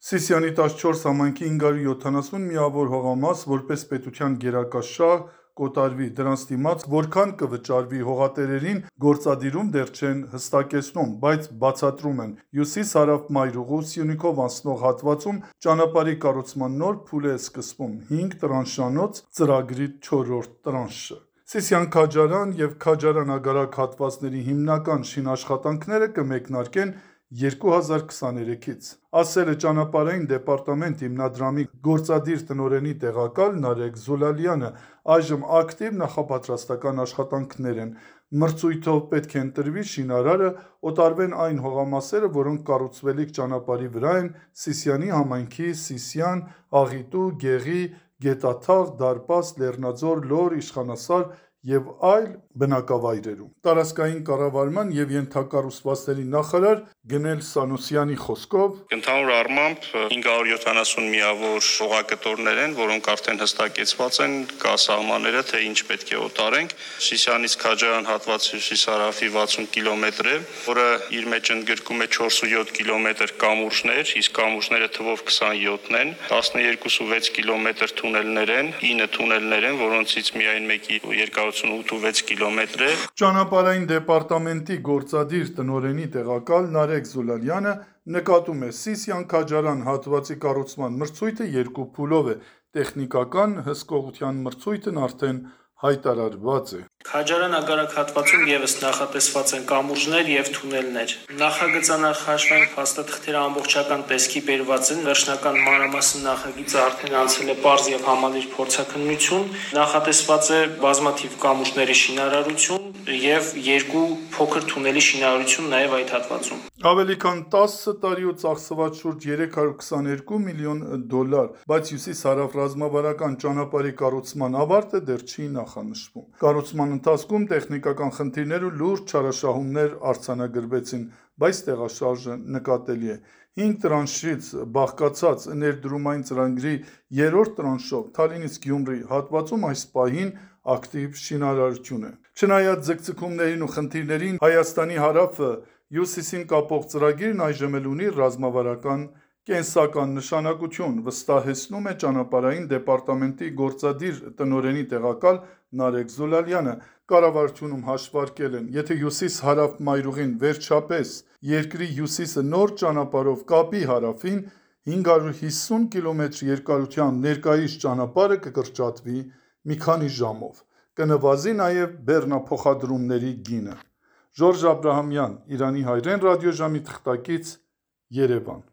Սիսիանի 14 համայնքի 570 միավոր հողամաս որպես պետության գերակա շահ կոտարվի, դրանց դիմաց որքան կվճարվի հողատերերին գործադիրում դեռ չեն հստակեցնում, բայց բացատրում են՝ հյուսիս-հարավ մայրուղու Սյունիքով անցնող հատվածում ճանապարհի կառուցման նոր փուլ է սկսվում 5 տրանշանոց ծրագրի 4-րդ տրանշը։ Սիսիան-Քաջարան և Քաջարան-Ագարակ հատվածների հիմնական շինաշխատանքները կմեկնարկեն 2023-ից, ասել է Ճանապարհային դեպարտամենտ հիմնադրամի գործադիր տնօրենի տեղակալ Նարեկ Զուլալյանը, այժմ ակտիվ նախապատրաստական աշխատանքներ են, մրցույթով պետք է ընտրվի շինարարը, օտարվեն այն հողամասերը, որոնք կառուցվելիք ճանապարհի վրա են Սիսիանի համայնքի Սիսիան, Աղիտու, Գեղի, Գետաթաղ, Դարպաս, Լեռնաձոր, Լոռ, Իշխանասար և այլ բնակավայրերում։ Տարածքային կառավարման և ենթակառուցվածքների նախարար Գնել Սանուսյանի խոսքով. Ընդհանուր առմամբ 570 միավոր հողակտորներ են, որոնք արդեն հստակեցված են, կա սահմանները, թե ինչ պետք է օտարենք։ Սիսիանից Քաջարան հատվածը հյուսիս-հարավի 60 կիլոմետր է, որը իր մեջ ընդգրկում է 4.7 կիլոմետր կամուրջներ, իսկ կամուրջները թվով 27-ն են, 12.6 կիլոմետր թունելներ են, 9 թունելներ են, որոնցից միայն մեկի երկարությունը 8.6 կիլոմետր է։ Ճանապարհային դեպարտամենտի գործադիր տնօրենի տեղակալ Նարեկ Զուլալյանը նկատում է՝ Սիսիան-Քաջարան հատվածի կառուցման մրցույթը 2 փուլով է, տեխնիկական հսկողության մրցույթն արդեն հայտարարված է։ Քաջարան-Ագարակ հատվածում ևս նախատեսված են կամուրջներ և թունելներ։ Նախագծանախաշվային փաստաթղթերը ամբողջական տեսքի բերված են, վերջնական մանրամասն նախագիծը արդեն անցել է պարզ և համալիր փորձաքննություն, նախատեսված է բազմաթիվ կամուրջների շինարարություն և 2 փոքր թունելի շինարարություն նաև այդ հատվածում։ Ավելի քան 10 տարի ու ծախսված շուրջ 322 միլիոն դոլար, բայց հյուսիս-հարավ ռազմավարական ճանապարհի կառուցման ավարտը դեռ չի նախանշվում։ Կառուցման ընթացքում տեխնիկական խնդիրներ ու լուրջ չարաշահումներ արձանագրվեցին, բայց տեղաշարժը նկատելի է։ 5 տրանշից բաղկացած ներդրումային ծրագրի 3-րդ տրանշով Թալինից Գյումրի հատվածում այս պահին ակտիվ շինարարություն է։ Չնայած ձգձգումներին ու խնդիրներին, Հայաստանի հարավը հյուսիսին կապող ծրագիրն այժմ էլ ունի ռազմավարական կենսական նշանակություն, վստահեցնում է Ճանապարհային դեպարտամենտի գործադիր տնօրենի տեղակալ Նարեկ Զուլալյանը։ Կառավարությունում հաշվարկել են, եթե հյուսիս-հարավ մայրուղին վերջապես երկրի հյուսիսը նոր ճանապարհով կապի հարավին, 550 կիլոմետր երկարությամբ ներկայիս ճանապարհը կկրճատվի մի քանի ժամով, կնվազի նաև բեռնափոխադրումների գինը։ Ժորժ Աբրահամյան, Իրանի հայրեն ռադիոժամի թղթակից, Երևան։